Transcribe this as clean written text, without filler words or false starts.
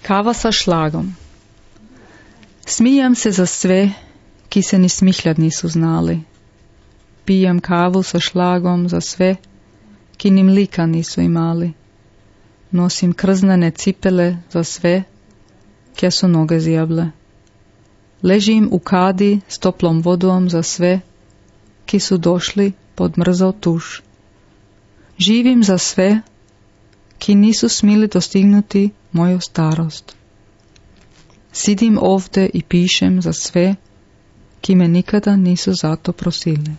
Kava sa šlagom. Smijam se za sve, ki se ni smihljat nisu znali. Pijem kavu sa šlagom za sve, ki ni mlika nisu imali. Nosim krznene cipele za sve, kje su noge zjable. Ležim u kadi s toplom vodom za sve, ki su došli pod mrzao tuš. Živim za sve, ki nisu smili dostignuti moju starost. Sidim ovdje i pišem za sve, ki me nikada nisu zato prosili.